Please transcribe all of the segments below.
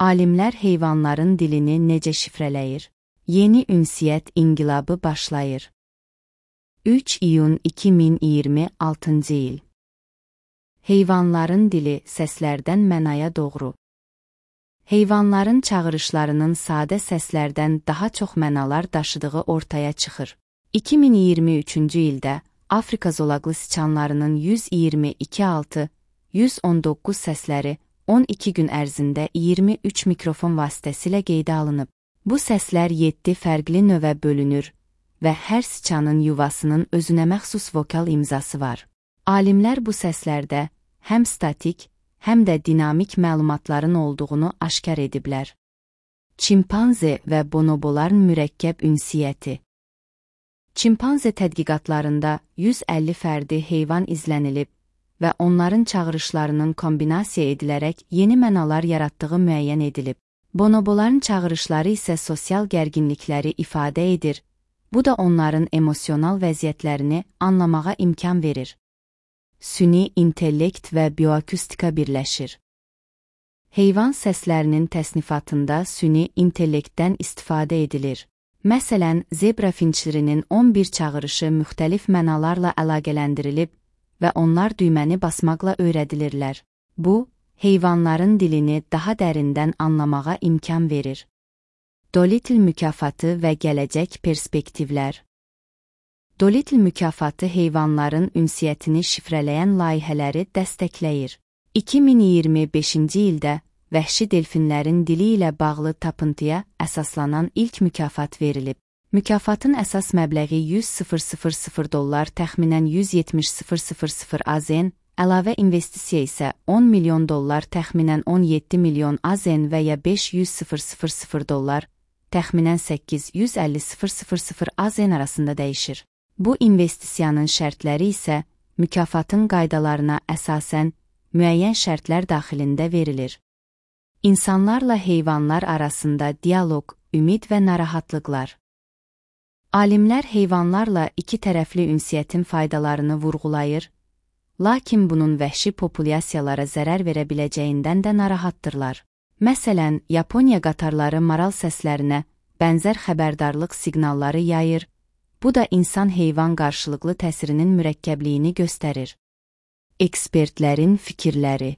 Alimlər heyvanların dilini necə şifrələyir? Yeni ünsiyyət inqilabı başlayır. 3 iyun 2026-cı il. Heyvanların dili səslərdən mənaya doğru. Heyvanların çağırışlarının sadə səslərdən daha çox mənalar daşıdığı ortaya çıxır. 2023-cü ildə Afrika zolaqlı siçanlarının 122.619 səsləri 12 gün ərzində 23 mikrofon vasitəsilə qeydə alınıb. Bu səslər 7 fərqli növə bölünür və hər siçanın yuvasının özünə məxsus vokal imzası var. Alimlər bu səslərdə həm statik, həm də dinamik məlumatların olduğunu aşkar ediblər. Çimpanze və bonoboların mürəkkəb ünsiyyəti. Çimpanze tədqiqatlarında 150 fərdi heyvan izlənilib və onların çağırışlarının kombinasiya edilərək yeni mənalar yaratdığı müəyyən edilib. Bonoboların çağırışları isə sosial gərginlikləri ifadə edir, bu da onların emosional vəziyyətlərini anlamağa imkan verir. Süni intellekt və bioakustika birləşir. Heyvan səslərinin təsnifatında süni intellektdən istifadə edilir. Məsələn, zebra finçlərinin 11 çağırışı müxtəlif mənalarla əlaqələndirilib və onlar düyməni basmaqla öyrədilirlər. Bu, heyvanların dilini daha dərindən anlamağa imkan verir. Dolittle mükafatı və gələcək perspektivlər. Dolittle mükafatı heyvanların ünsiyyətini şifrələyən layihələri dəstəkləyir. 2025-ci ildə vəhşi delfinlərin dili ilə bağlı tapıntıya əsaslanan ilk mükafat verilib. Mükafatın əsas məbləği $100.000 təxminən 170.000 AZN, əlavə investisiya isə $10 milyon təxminən 17 milyon AZN və ya $500.000 təxminən 850.000 AZN arasında dəyişir. Bu investisiyanın şərtləri isə mükafatın qaydalarına əsasən müəyyən şərtlər daxilində verilir. İnsanlarla heyvanlar arasında dialoq, ümid və narahatlıqlar. Alimlər heyvanlarla iki tərəfli ünsiyyətin faydalarını vurğulayır, lakin bunun vəhşi populyasiyalara zərər verə biləcəyindən də narahatdırlar. Məsələn, Yaponiya qatarları maral səslərinə bənzər xəbərdarlıq siqnalları yayır, bu da insan-heyvan qarşılıqlı təsirinin mürəkkəbliyini göstərir. Ekspertlərin fikirləri.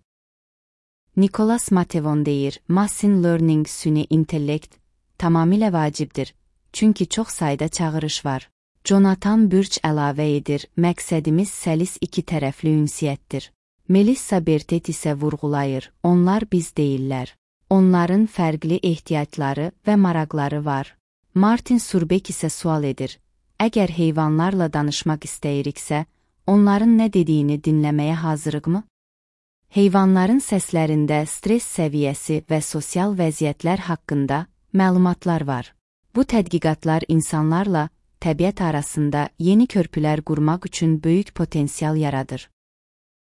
Nicholas Matevon deyir, Machine Learning süni intellekt tamamilə vacibdir, çünki çox sayda çağırış var. Jonathan Burch əlavə edir, məqsədimiz səlis iki tərəfli ünsiyyətdir. Melissa Bertet isə vurğulayır, onlar biz deyirlər. Onların fərqli ehtiyacları və maraqları var. Martin Surbek isə sual edir, əgər heyvanlarla danışmaq istəyiriksə, onların nə dediyini dinləməyə hazırıqmı? Heyvanların səslərində stress səviyyəsi və sosial vəziyyətlər haqqında məlumatlar var. Bu tədqiqatlar insanlarla təbiət arasında yeni körpülər qurmaq üçün böyük potensial yaradır.